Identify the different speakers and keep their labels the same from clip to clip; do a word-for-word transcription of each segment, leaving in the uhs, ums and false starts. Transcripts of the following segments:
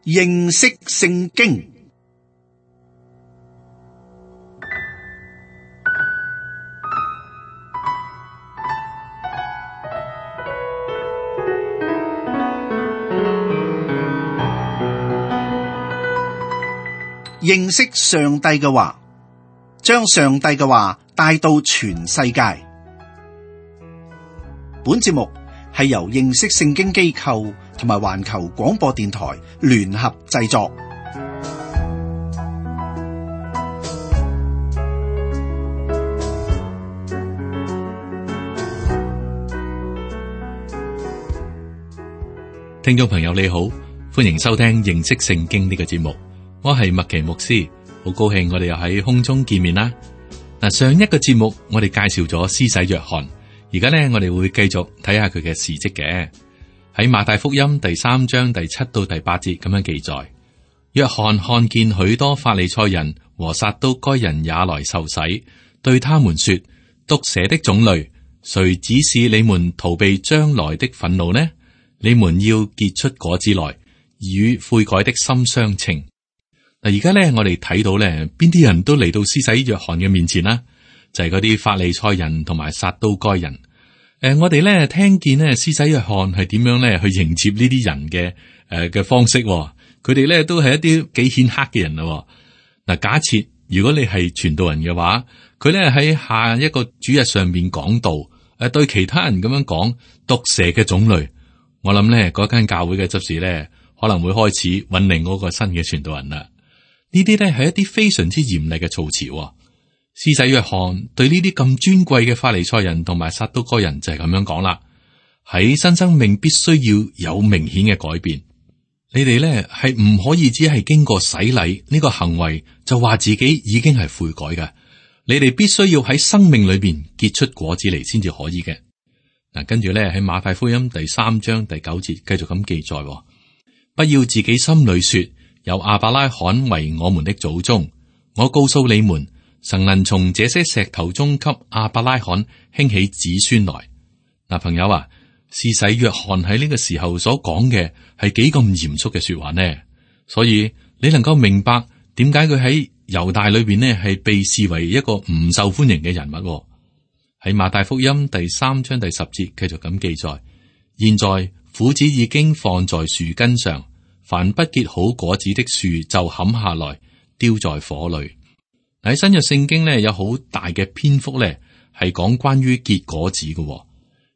Speaker 1: 認識聖經。認識上帝嘅話，將上帝嘅話帶到全世界。本節目係由認識聖經機構同埋環球廣播電台聯合製作。
Speaker 2: 聽眾朋友你好，歡迎收聽認識聖經呢個節目。我係麥奇牧師，好高興我哋又喺空中見面啦。嗱，上一個節目我哋介紹咗施洗約翰，而家呢，我哋會繼續睇下佢嘅事蹟嘅。喺馬太福音第三章第七到第八節咁樣記載，約翰看見許多法利賽人和撒都該人也來受洗，對他們說：毒蛇的種類，誰指示你們逃避將來的憤怒呢？你們要結出果子來，與悔改的心相稱。嗱，而家咧，我哋睇到咧，邊啲人都嚟到施洗約翰嘅面前啦，就係嗰啲法利賽人同埋撒都該人。誒、呃，我哋咧聽見咧施洗約翰係點樣咧去迎接呢啲人嘅誒嘅方式，佢哋咧都係一啲幾顯赫嘅人啦。嗱，假設如果你係傳道人嘅話，佢咧喺下一個主日上面講道，誒、呃、對其他人咁樣講毒蛇嘅種類，我諗咧嗰間教會嘅執事咧可能會開始揾另外一個新嘅傳道人啦。呢啲咧係一啲非常之嚴厲嘅措辭。施洗約翰對呢啲咁尊貴嘅法利賽人同埋撒都該人就係咁樣講啦。喺新生命必須要有明顯嘅改變，你哋咧係唔可以只係經過洗禮呢個行為就話自己已經係悔改嘅。你哋必須要喺生命裏邊結出果子嚟先至可以嘅。嗱，跟住咧喺馬太福音第三章第九節繼續咁記載，不要自己心裏說，有亞伯拉罕為我們的祖宗。我告訴你們，神能從這些石頭中給亞伯拉罕興起子孫來。嗱，朋友啊，施洗約翰喺呢個時候所講嘅係幾咁嚴肅嘅說話呢？所以你能夠明白點解佢喺猶大裏邊呢係被視為一個唔受歡迎嘅人物。喺馬太福音第三章第十節繼續咁記載，現在斧子已經放在樹根上，凡不結好果子的樹就砍下來，丟在火裏。喺新約聖經呢，有好大嘅篇幅呢係講關於結果子嘅。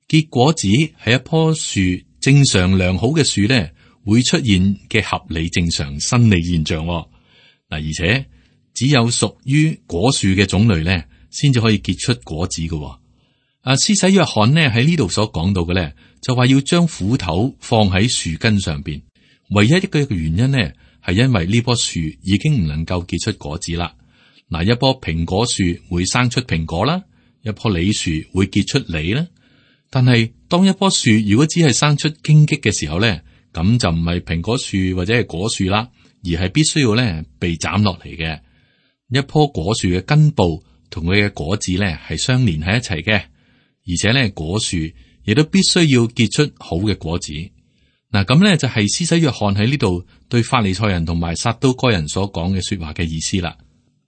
Speaker 2: 結果子係一棵樹正常良好嘅樹呢會出現嘅合理正常生理現象。嗱，而且只有屬於果樹嘅種類呢先至可以結出果子嘅。啊，施洗約翰呢喺呢度所講到嘅呢，就話要將斧頭放喺樹根上邊。唯一一個原因呢，係因為呢棵樹已經唔能夠結出果子啦。嗱，一棵蘋果樹會生出蘋果啦，一棵梨樹會結出梨啦。但係當一棵樹如果只係生出荊棘嘅時候呢，咁就唔係蘋果樹或者係果樹啦，而係必須要呢被斬落嚟嘅。一棵果樹嘅根部同佢嘅果子呢係相連喺一齊嘅，而且呢果樹亦都必須要結出好嘅果子。嗱，咁咧就係施洗約翰喺呢度對法利賽人同埋撒都該人所講嘅說話嘅意思啦。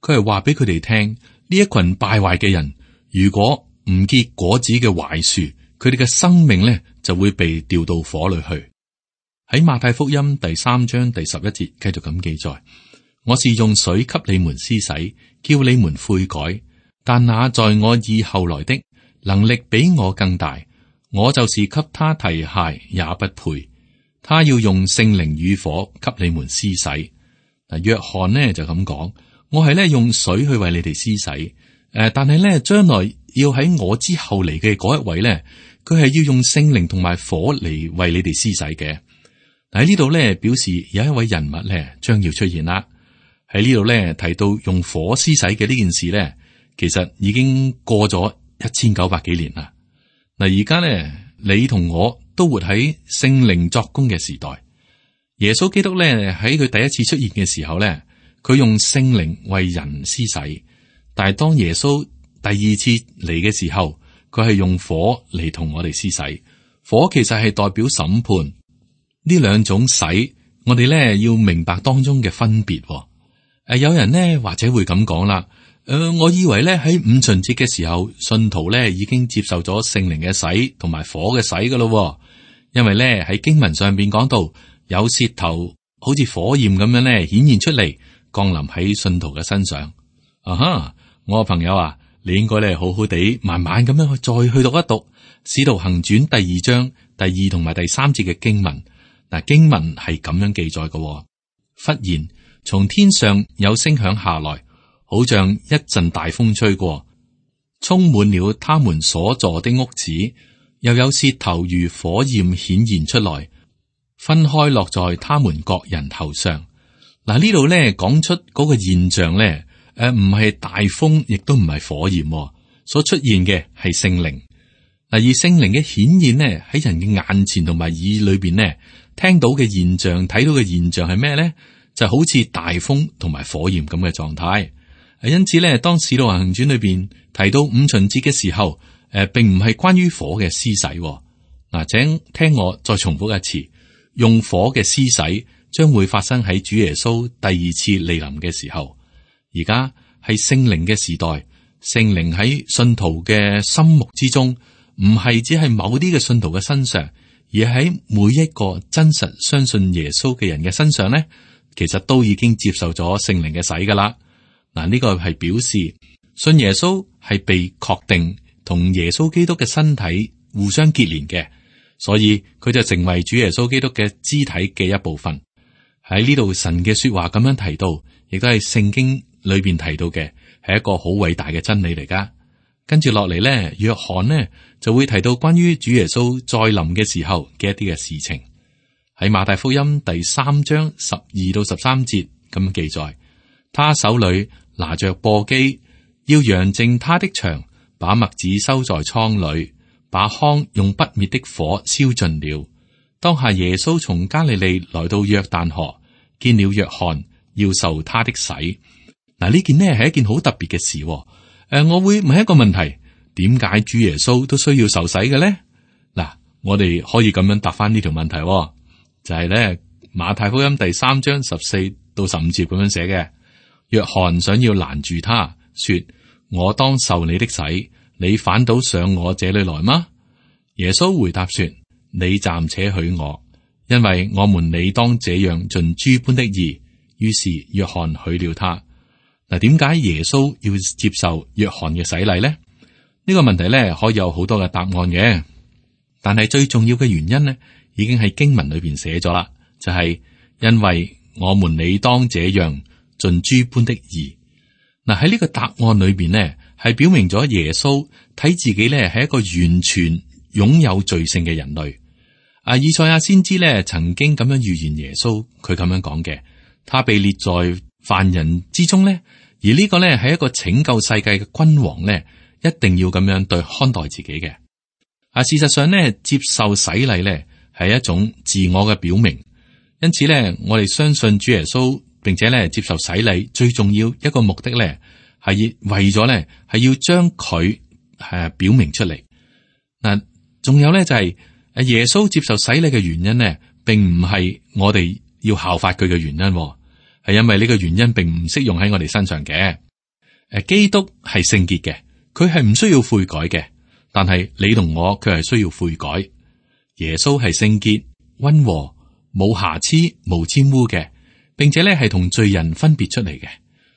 Speaker 2: 佢係話俾佢哋聽，呢一群敗壞嘅人，如果唔結果子嘅壞樹，佢哋嘅生命咧就會被掉到火裏去。喺馬太福音第三章第十一節繼續咁記載：我是用水給你們施洗，叫你們悔改，但那在我以後來的能力比我更大，我就是給他提鞋也不配。他要用聖靈與火給你們施洗。嗱，約翰呢就咁講，我係咧用水去為你哋施洗，誒、呃，但係咧將來要喺我之後嚟嘅嗰一位咧，佢係要用聖靈同埋火嚟為你哋施洗嘅。喺呢度咧表示有一位人物咧將要出現啦。喺呢度咧提到用火施洗嘅呢件事咧，其實已經過咗一千九百幾年啦。嗱，而家咧你同我都活喺聖靈作工嘅時代。耶穌基督咧喺佢第一次出現嘅時候咧，佢用聖靈為人施洗。但係當耶穌第二次嚟嘅時候，佢係用火嚟同我哋施洗。火其實係代表審判。呢兩種洗，我哋咧要明白當中嘅分別。誒、呃，有人呢或者會咁講啦，誒、呃，我以為咧喺五旬節嘅時候，信徒咧已經接受咗聖靈嘅洗同埋火嘅洗噶咯，因為咧喺經文上邊講到有舌頭好似火焰咁樣咧顯現出嚟，降臨喺信徒嘅身上。啊哈，我嘅朋友啊，你應該咧好好地慢慢咁樣去再去讀一讀《使徒行傳》第二章第二同埋第三節嘅經文。嗱，經文係咁樣記載嘅，忽然從天上有聲響下來，好像一陣大風吹過，充滿了他們所坐的屋子，又有舌頭如火焰顯現出來，分開落在他們各人頭上。嗱，呢度咧講出嗰個現象咧，誒唔係大風，亦都唔係火焰，所出現嘅係聖靈。嗱，而聖靈嘅顯現呢，喺人嘅眼前同埋耳裏邊呢，聽到嘅現象、睇到嘅現象係咩咧？就好似大風同埋火焰咁嘅狀態。因此咧，當使徒行傳裏邊提到五旬節嘅時候，誒，並唔係關於火嘅施洗。嗱，請聽我再重複一次，用火嘅施洗將會發生喺主耶穌第二次嚟臨嘅時候。而家係聖靈嘅時代，聖靈喺信徒嘅心目之中，唔係只係某啲嘅信徒嘅身上，而喺每一個真實相信耶穌嘅人嘅身上咧，其實都已經接受咗聖靈嘅洗噶啦。嗱，呢個係表示信耶穌係被確定同耶穌基督嘅身體互相結連嘅，所以佢就成為主耶穌基督嘅肢體嘅一部分。喺呢度神嘅說話咁樣提到，亦都係聖經裏邊提到嘅，係一個好偉大嘅真理嚟噶。跟住落嚟咧，約翰呢就會提到關於主耶穌再臨嘅時候嘅一啲嘅事情。喺馬太福音第三章十二到十三節咁記載，他手裏拿着簸箕，要揚淨他的場，把麥子收在倉裏，把糠用不滅的火燒盡了。當下耶穌從加利利來到約旦河，見了約翰，要受他的洗。嗱，呢件呢係一件好特別嘅事。誒、呃，我會問一個問題：點解主耶穌都需要受洗嘅咧？嗱，我哋可以咁樣答翻呢條問題，就係、是、咧馬太福音第三章十四到十五節咁樣寫嘅。約翰想要攔住他，說：我當受你的洗，你反倒上我這裏來嗎？耶穌回答說：你暫且許我，因為我們理當這樣盡諸般的義。於是約翰許了他。嗱，點解耶穌要接受約翰嘅洗禮呢？呢、呢個問題咧可以有好多嘅答案嘅，但係最重要嘅原因呢，已經喺經文裏邊寫咗啦，就係、是、因為我們理當這樣盡諸般的義。嗱，喺呢個答案裏邊呢，係表明咗耶穌睇自己咧係一個完全擁有罪性嘅人類。啊，以賽亞先知咧曾經咁樣預言耶穌，佢咁樣講嘅，他被列在犯人之中咧，而呢個咧係一個拯救世界嘅君王咧，一定要咁樣對看待自己嘅。啊，事實上咧，接受洗禮咧係一種自我嘅表明，因此咧，我哋相信主耶穌，並且咧接受洗禮最重要一個目的咧係為咗咧係要將佢係表明出嚟。嗱，仲有咧就係誒耶穌接受洗禮嘅原因咧，並唔係我哋要效法佢嘅原因。係因為呢個原因並唔適用喺我哋身上嘅。誒，基督係聖潔嘅，佢係唔需要悔改嘅。但係你同我卻係需要悔改。耶穌係聖潔、溫和、冇瑕疵、無玷污嘅，並且咧係同罪人分別出嚟嘅。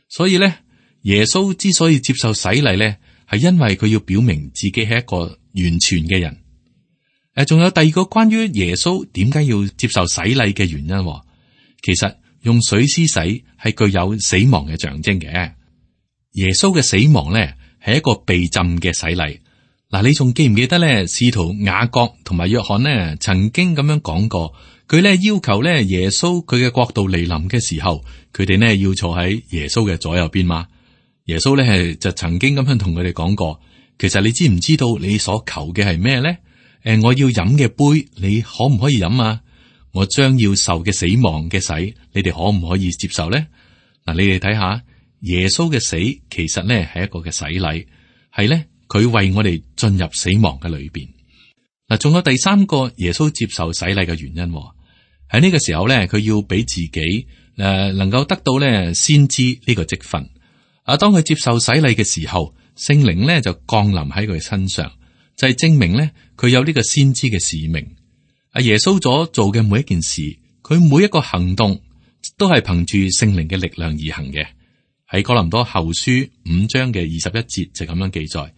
Speaker 2: 所以咧，耶穌之所以接受洗禮咧，係因為佢要表明自己係一個完全嘅人。誒，仲有第二個關於耶穌點解要接受洗禮嘅原因，其實。用水施洗係具有死亡嘅象徵嘅。耶穌嘅死亡咧係一個被浸嘅洗禮。嗱，你仲記唔記得咧？使徒雅各同埋約翰呢曾經咁樣講過，佢咧要求咧耶穌佢嘅國度嚟臨嘅時候，佢哋呢要坐喺耶穌嘅左右邊嘛。耶穌咧係就曾經咁樣同佢哋講過，其實你知唔知道你所求嘅係咩咧？誒，我要飲嘅杯，你可唔可以飲啊？我將要受嘅死亡嘅洗，你哋可唔可以接受咧？嗱，你哋睇下耶穌嘅死，其實咧係一個嘅洗禮，係咧佢為我哋進入死亡嘅裏邊。嗱，仲有第三個耶穌接受洗禮嘅原因，喺呢個時候咧，佢要俾自己誒、呃、能夠得到咧先知呢個職分。啊，當佢接受洗禮嘅時候，聖靈咧就降臨喺佢身上，就係、是、證明咧佢有呢個先知嘅使命。阿耶穌所做嘅每一件事，佢每一個行動都係憑住聖靈嘅力量而行嘅。喺哥林多後書五章嘅二十一節就咁樣記載：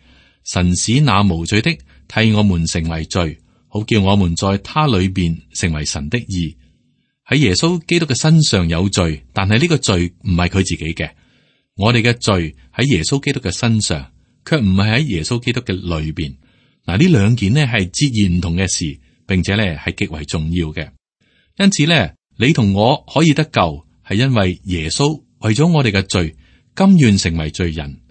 Speaker 2: 神使那無罪的替我們成為罪，好叫我們在他裏邊成為神的義。喺耶穌基督嘅身上有罪，但係呢個罪唔係佢自己嘅。我哋嘅罪喺耶穌基督嘅身上，卻唔係喺耶穌基督嘅裏邊。嗱，呢兩件呢係截然唔同嘅事，並且呢係極為重要嘅。因此呢，你同我可以得救，係因為耶穌為咗我哋嘅罪，甘願成為罪人。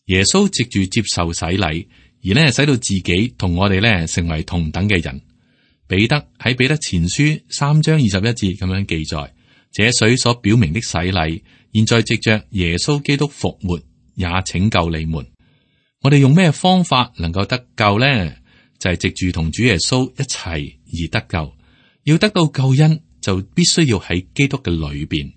Speaker 2: 耶穌藉住接受洗禮，而呢使到自己同我哋呢成為同等嘅人。彼得喺彼得前書三章二十一節咁樣記載：這水所表明的洗禮，現在藉着耶穌基督復活，也拯救你們。我哋用咩方法能夠得救呢？就係藉住同主耶穌一齊而得救。要得到救恩，就必須要喺基督嘅裏邊。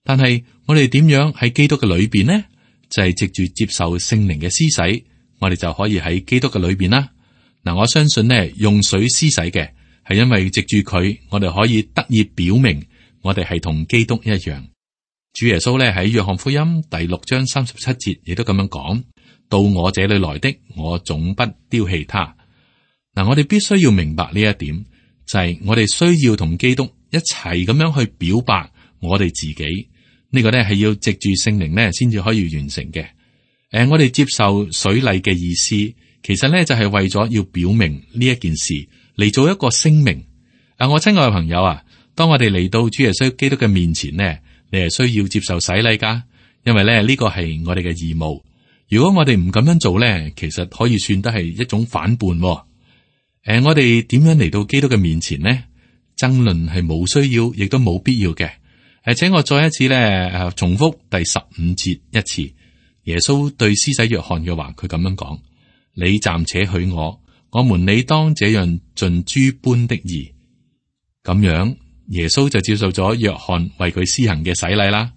Speaker 2: 但係我哋點樣喺基督嘅裏邊呢？就係藉住接受聖靈嘅施洗，我哋就可以喺基督嘅裏邊啦。嗱，我相信呢，用水施洗嘅係因為藉住佢，我哋可以得以表明我哋係同基督一樣。主耶穌咧喺約翰福音第六章三十七節亦都咁樣講：到我這裏來的，我總不丟棄他。嗱，我哋必須要明白呢一點，就係、是、我哋需要同基督一齊咁樣去表白我哋自己。呢、這個咧係要藉住聖靈咧先至可以完成嘅。誒、呃，我哋接受水禮嘅意思，其實咧就係為咗要表明呢一件事，嚟做一個聲明。啊，我親愛嘅朋友啊，當我哋嚟到主耶穌基督嘅面前呢，你係需要接受洗禮噶，因為咧呢個係我哋嘅義務。如果我哋唔咁樣做咧，其實可以算得係一種反叛。誒、呃，我哋點樣嚟到基督嘅面前呢？爭論係冇需要，亦都冇必要嘅。誒，請我再一次咧誒，重複第十五節一次。耶穌對施洗約翰嘅話，佢咁樣講：你暫且許我，我們理當這樣盡諸般的義。咁樣，耶穌就接受咗約翰為佢施行嘅洗禮啦。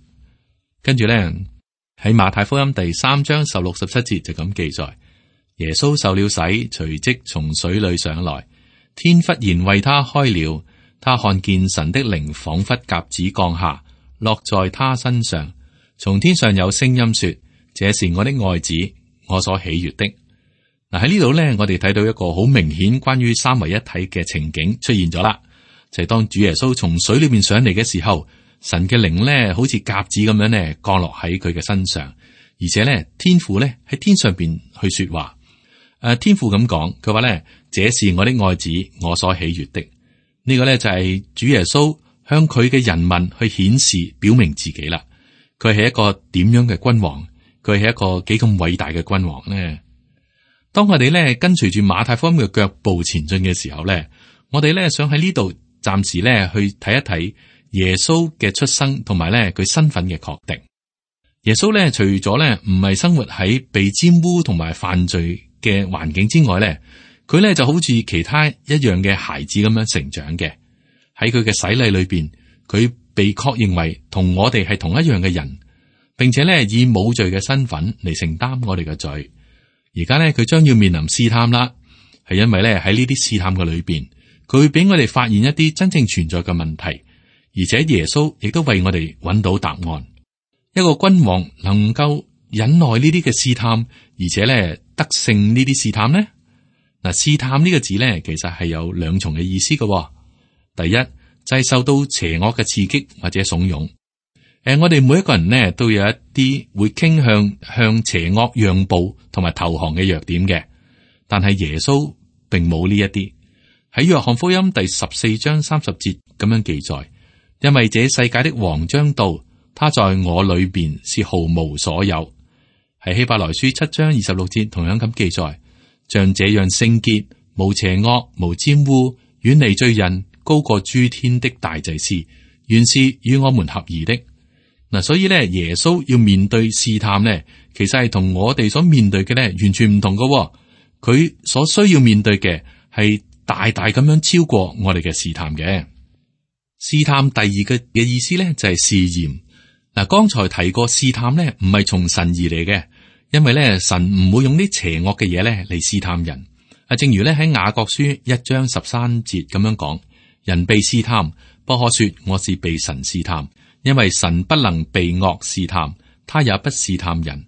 Speaker 2: 跟住咧喺馬太福音第三章十六十七節就咁記載：耶穌受了洗，隨即從水裏上來，天忽然為他開了。他看見神的靈仿佛鴿子降下，落在他身上。從天上有聲音說：這是我的愛子，我所喜悅的。嗱，喺呢度咧，我哋睇到一個好明顯關於三位一體嘅情景出現咗啦。就係、是、當主耶穌從水裏面上嚟嘅時候，神嘅靈咧好似鴿子咁樣咧降落喺佢嘅身上，而且咧天父咧喺天上邊去說話。誒、啊，天父咁講，佢話咧：這是我的愛子，我所喜悅的。呢個咧就係主耶穌向佢嘅人民去顯示表明自己啦。佢係一個點樣嘅君王？佢係一個幾咁偉大嘅君王呢？當我哋咧跟隨住馬太福音嘅腳步前進嘅時候咧，我哋咧想喺呢度暫時咧去睇一睇耶穌嘅出生同埋咧佢身份嘅確定。耶穌咧除咗咧唔係生活喺被沾污同埋犯罪嘅環境之外咧，佢咧就好似其他一樣嘅孩子咁樣成長嘅。喺佢嘅洗禮裏邊，佢被確認為同我哋係同一樣嘅人，並且咧以冇罪嘅身份嚟承擔我哋嘅罪。而家咧佢將要面臨試探啦，係因為咧喺呢啲試探嘅裏邊，佢會俾我哋發現一啲真正存在嘅問題，而且耶穌亦都為我哋揾到答案。一個君王能夠忍耐呢啲嘅試探，而且咧得勝呢啲試探呢？嗱，試探呢個字咧，其實係有兩重嘅意思嘅、哦。第一就係、是、受到邪惡嘅刺激或者慫恿。誒、呃，我哋每一個人呢，都有一啲會傾向向邪惡讓步同埋投降嘅弱點嘅，但係耶穌並冇呢一啲。喺約翰福音第十四章三十節咁樣記載：因為這世界的王將到，他在我裏邊是毫無所有。喺希伯來書七章二十六節同樣咁記載。像這樣聖潔、無邪惡、無沾污、遠離罪人、高過諸天的大祭司，原是與我們合宜的。嗱，所以咧，耶穌要面對試探咧，其實係同我哋所面對嘅咧完全唔同嘅。佢所需要面對嘅係大大咁樣超過我哋嘅試探嘅。試探第二嘅嘅意思咧就係試驗。嗱，剛才提過試探咧唔係從神而嚟嘅，因為咧神唔會用啲邪惡嘅嘢咧嚟試探人。啊，正如咧喺雅各書一章十三節咁樣講，人被試探，不可說我是被神試探，因為神不能被惡試探，他也不試探人。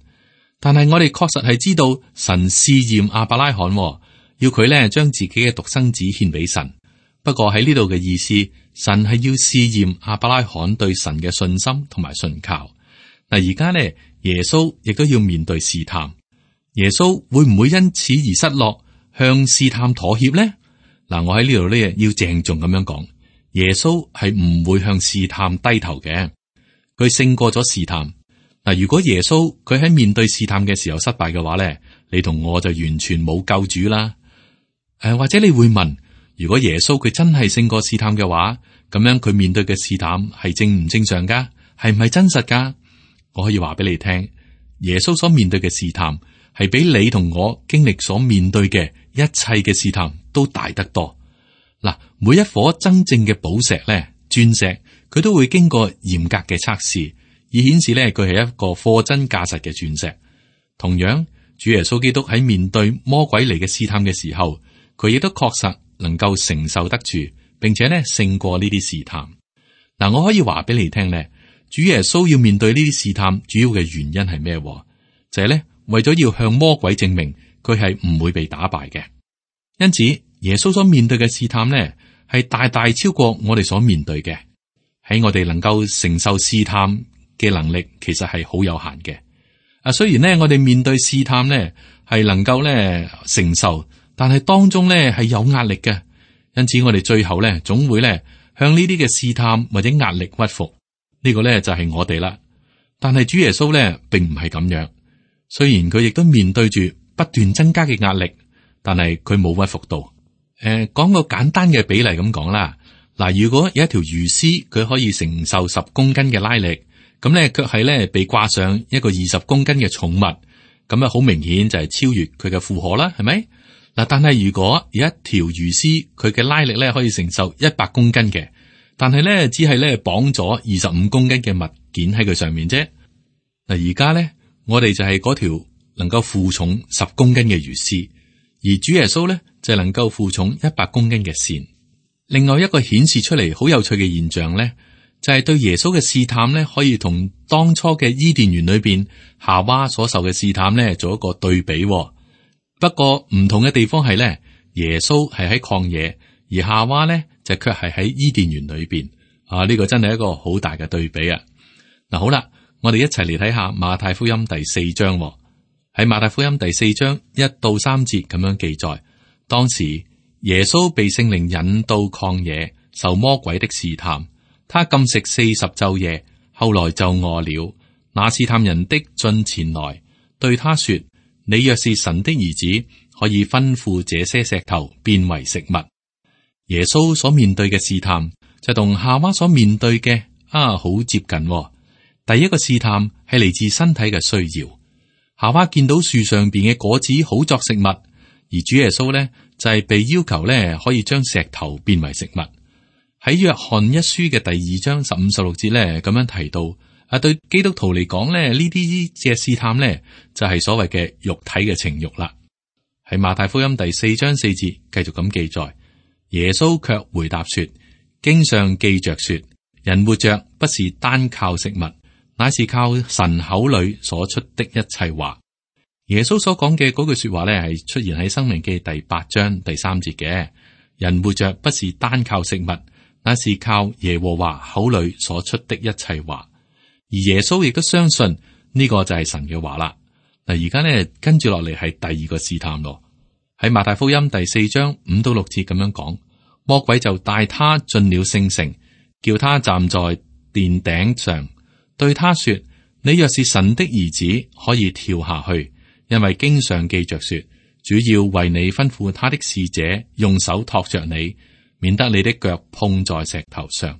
Speaker 2: 但係我哋確實係知道神試驗亞伯拉罕，要佢咧將自己嘅獨生子獻俾神。不過喺呢度嘅意思，神係要試驗亞伯拉罕對神嘅信心同埋信靠。嗱，而家咧耶穌亦都要面對試探，耶穌會唔會因此而失落，向試探妥協呢？嗱，我喺呢度咧要鄭重咁樣講，耶穌係唔會向試探低頭嘅，佢勝過咗試探。嗱，如果耶穌佢喺面對試探嘅時候失敗嘅話咧，你同我就完全冇救主啦。誒、呃，或者你會問，如果耶穌佢真係勝過試探嘅話，咁樣佢面對嘅試探係正唔正常噶？係唔係真實噶？我可以話俾你聽，耶穌所面對嘅試探係比你同我經歷所面對嘅一切嘅試探都大得多。嗱，每一顆真正嘅寶石咧，鑽石，佢都會經過嚴格嘅測試，以顯示咧佢係一個貨真價實嘅鑽石。同樣，主耶穌基督喺面對魔鬼嚟嘅試探嘅時候，佢亦都確實能夠承受得住，並且咧勝過呢啲試探。嗱，我可以話俾你聽咧，主耶穌要面對呢啲試探，主要嘅原因係咩？就係咧為咗要向魔鬼證明佢係唔會被打敗嘅。因此，耶穌所面對嘅試探咧，係大大超過我哋所面對嘅。喺我哋能夠承受試探嘅能力，其實係好有限嘅。啊，雖然咧我哋面對試探咧係能夠咧承受，但係當中咧係有壓力嘅。因此，我哋最後咧總會咧向呢啲嘅試探或者壓力屈服。呢個咧就係我哋啦。但係主耶穌咧並唔係咁樣。雖然佢亦都面對住不斷增加嘅壓力，但係佢冇屈服到。誒、呃，講個簡單嘅比例咁講啦。嗱，如果有一條魚絲，佢可以承受十公斤嘅拉力，咁咧卻係咧被掛上一個二十公斤嘅重物，咁啊好明顯就係超越佢嘅負荷啦，係咪？嗱，但係如果有一條魚絲，佢嘅拉力咧可以承受一百公斤嘅，但係咧只係咧綁咗二十五公斤嘅物件喺佢上面啫。嗱，而家咧我哋就係嗰條能夠負重十公斤嘅魚絲，而主耶穌咧就係能夠負重一百公斤嘅線。另外一個顯示出嚟好有趣嘅現象咧，就係對耶穌嘅試探咧，可以同當初嘅伊甸園裏邊夏娃所受嘅試探咧做一個對比。不過唔同嘅地方係咧，耶穌係喺曠野，而夏娃咧就卻係喺伊甸園裏邊。啊，呢個真係一個好大嘅對比啊！嗱，好啦，我哋一齊嚟睇下馬太福音第四章。喺馬太福音第四章一到三節咁樣記載，當時耶穌被聖靈引到曠野，受魔鬼的試探，他禁食四十晝夜，後來就餓了。那試探人的進前來，對他說：你若是神的兒子，可以吩咐這些石頭變為食物。耶穌所面對嘅試探就同夏娃所面對嘅啊好接近。第一個試探係嚟自身體嘅需要，夏娃見到樹上邊嘅果子好作食物，而主耶穌呢就係、是、被要求呢可以將石頭變為食物。喺約翰一書嘅第二章十五十六節呢咁樣提到，啊對基督徒嚟講呢，呢啲嘅試探呢就係、是、所謂嘅肉體嘅情欲啦。喺馬太福音第四章四節繼續咁記載，耶穌卻回答說：經上記着說，人活着不是單靠食物，乃是靠神口裏所出的一切話。耶穌所講嘅嗰句說話咧，係出現喺申命記第八章第三節嘅。人活着不是單靠食物，乃是靠耶和華口裏所出的一切話。而耶穌亦都相信呢個就係神嘅話啦。嗱，而家咧跟住落嚟係第二個試探咯。喺馬太福音第四章五到六節咁樣講，魔鬼就帶他進了聖城，叫他站在殿頂上，對他說：你若是神的兒子，可以跳下去，因為經上記着說，主要為你吩咐他的使者用手托着你，免得你的腳碰在石頭上。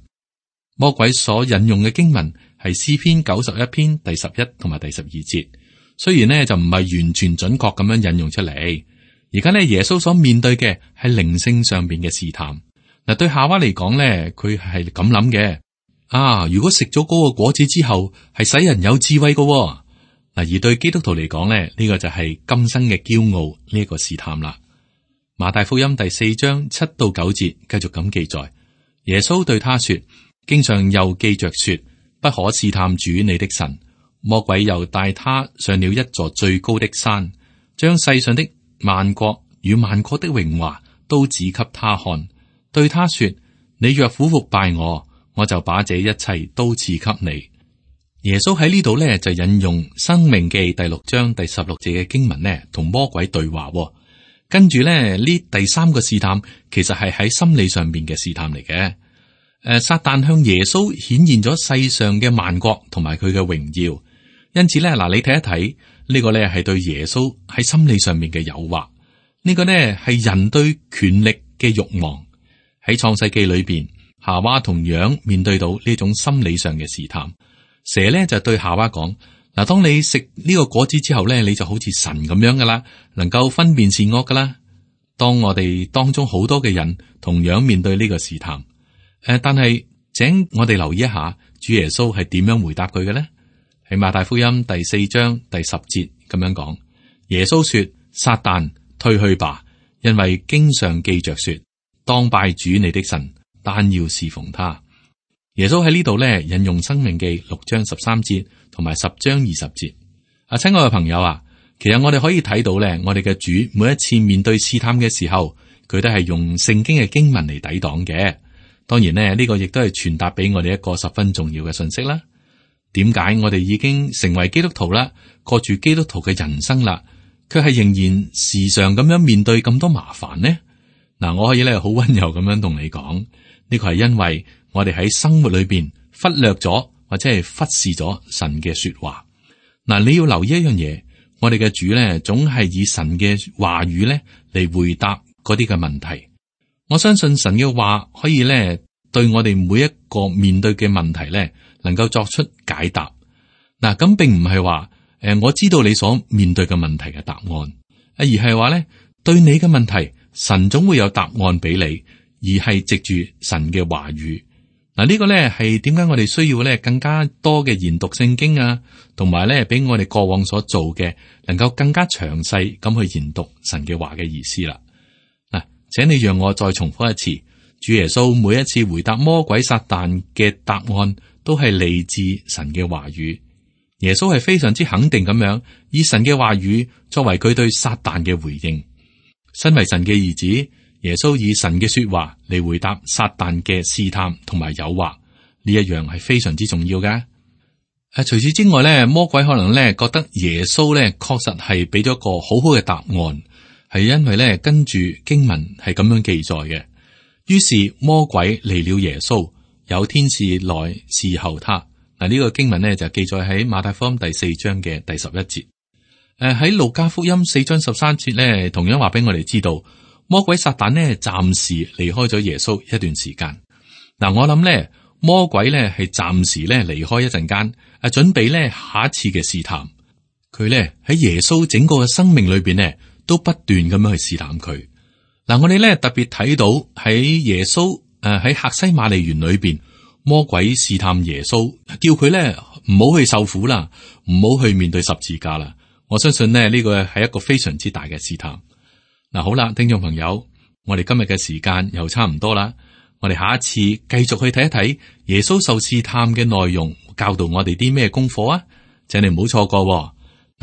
Speaker 2: 魔鬼所引用嘅經文係詩篇九十一篇第十一同埋第十二節，雖然呢就唔係完全準確咁樣引用出嚟。而家呢，耶穌所面對嘅係靈性上邊嘅試探，嗱，對夏娃嚟講咧，佢係咁諗嘅。啊，如果食咗嗰個果子之後，係使人有智慧嘅喎。嗱，而對基督徒嚟講咧，呢個就係今生嘅驕傲呢一個試探啦。馬太福音第四章七到九節繼續咁記載，耶穌對他說：經上又記着說，不可試探主你的神。魔鬼又帶他上了一座最高的山，將世上的萬國與萬國的榮華都指給他看，對他說：你若俯伏拜我，我就把這一切都賜給你。耶穌喺呢度呢，就引用申命記第六章第十六節嘅經文呢，同魔鬼對話。跟住呢，呢第三個試探其實係喺心理上面嘅試探嚟嘅。誒，撒旦向耶穌顯現咗世上嘅萬國同埋佢嘅榮耀，因此呢，嗱，你睇一睇呢個呢係對耶穌喺心理上面嘅誘惑。呢個呢係人對權力嘅慾望。喺創世記裏邊，夏娃同樣面對到呢種心理上嘅試探。蛇咧就對夏娃講：嗱，當你食呢個果子之後咧，你就好似神咁樣噶啦，能夠分辨善惡噶啦。當我哋當中好多嘅人同樣面對呢個試探，誒、呃，但係請我哋留意一下，主耶穌係點樣回答佢嘅咧？喺馬太福音第四章第十節咁樣講：耶穌說，撒旦退去吧，因為經上記着說，當拜主你的神，單要侍奉他。耶穌喺呢度咧引用申命記六章十三節同埋十章二十節。啊，親愛嘅朋友啊，其實我哋可以睇到咧，我哋嘅主每一次面對試探嘅時候，佢都係用聖經嘅經文嚟抵擋嘅。當然咧，呢個亦都係傳達俾我哋一個十分重要嘅信息啦。點解我哋已經成為基督徒啦，過住基督徒嘅人生啦，卻係仍然時常咁樣面對咁多麻煩呢？嗱，我可以咧好溫柔咁樣同你講，呢個係因為我哋喺生活裏邊忽略咗或者係忽視咗神嘅說話。嗱，你要留意一樣嘢，我哋嘅主咧總係以神嘅話語咧嚟回答嗰啲嘅問題。我相信神嘅話可以咧對我哋每一個面對嘅問題咧能夠作出解答。嗱，咁並唔係話誒我知道你所面對嘅問題嘅答案，而係話咧對你嘅問題，神總會有答案俾你，而係藉住神嘅話語。嗱，呢個咧係點解我哋需要咧更加多嘅研讀聖經啊，同埋咧比我哋過往所做嘅能夠更加詳細咁去研讀神嘅話嘅意思啦。嗱，請你讓我再重複一次，主耶穌每一次回答魔鬼撒旦嘅答案，都係嚟自神嘅話語。耶穌係非常之肯定咁樣以神嘅話語作為佢對撒旦嘅回應。身為神嘅兒子，耶穌以神嘅說話嚟回答撒旦嘅試探同埋誘惑，呢一樣係非常之重要嘅。誒，除此之外咧，魔鬼可能咧覺得耶穌咧確實係俾咗個好好嘅答案，係因為咧跟住經文係咁樣記載嘅。於是魔鬼離了耶穌，有天使來侍候他。嗱，呢個經文咧就記載喺馬太福音第四章嘅第十一節。誒，喺路加福音四章十三節咧，同樣話俾我哋知道。魔鬼撒旦呢，暫時離開咗耶穌一段時間。嗱，我諗咧，魔鬼咧係暫時咧離開一陣間，啊，準備咧下一次嘅試探。佢咧喺耶穌整個嘅生命裏邊咧，都不斷咁樣去試探佢。嗱，我哋咧特別睇到喺耶穌誒喺客西馬尼園裏邊，魔鬼試探耶穌，叫佢咧唔好去受苦啦，唔好去面對十字架啦。我相信咧呢個係一個非常之大嘅試探。嗱，好啦，聽眾朋友，我哋今日嘅時間又差唔多啦，我哋下一次繼續去睇一睇耶穌受試探嘅內容，教導我哋啲咩功課啊？請你唔好錯過喎。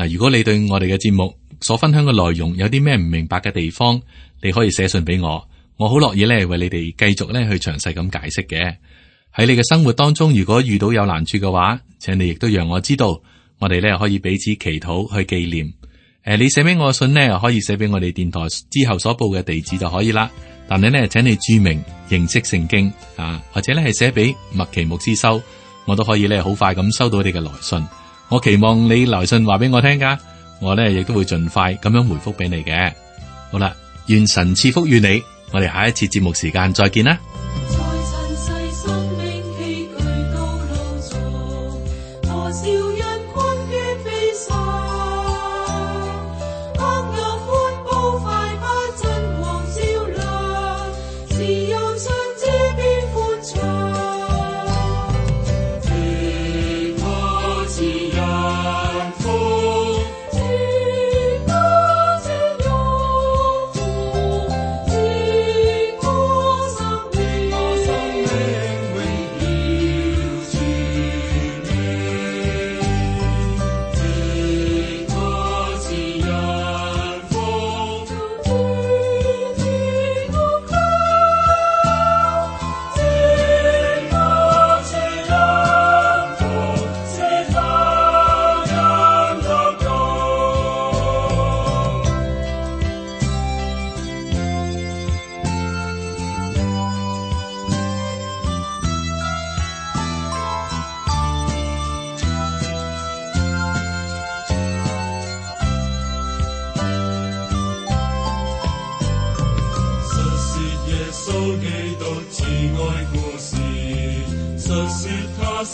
Speaker 2: 嗱，如果你對我哋嘅節目所分享嘅內容有啲咩唔明白嘅地方，你可以寫信俾我，我好樂意咧為你哋繼續咧去詳細咁解釋嘅。喺你嘅生活當中，如果遇到有難處嘅話，請你亦都讓我知道，我哋咧可以彼此祈禱去紀念。誒，你寫俾我嘅信呢，可以寫俾我哋電台之後所報嘅地址就可以啦。但係呢，請你注明認識聖經啊，或者咧係寫俾麥奇牧師收，我都可以咧好快咁收到你嘅來信。我期望你來信話俾我聽噶，我呢亦都會盡快咁樣回覆俾你嘅。好啦，願神賜福於你，我哋下一次節目時間再見啦。
Speaker 3: 是有相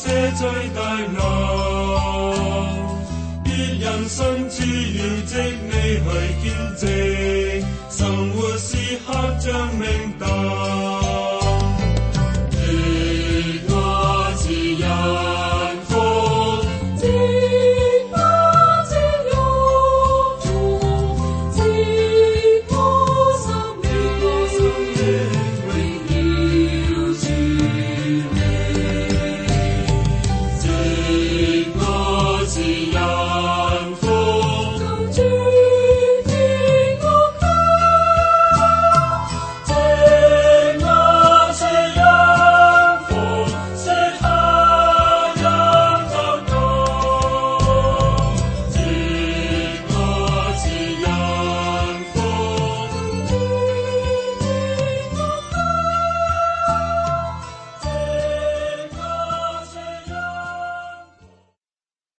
Speaker 3: 寫在大樓，別人甚至要藉你去見證，生活時刻像明燈。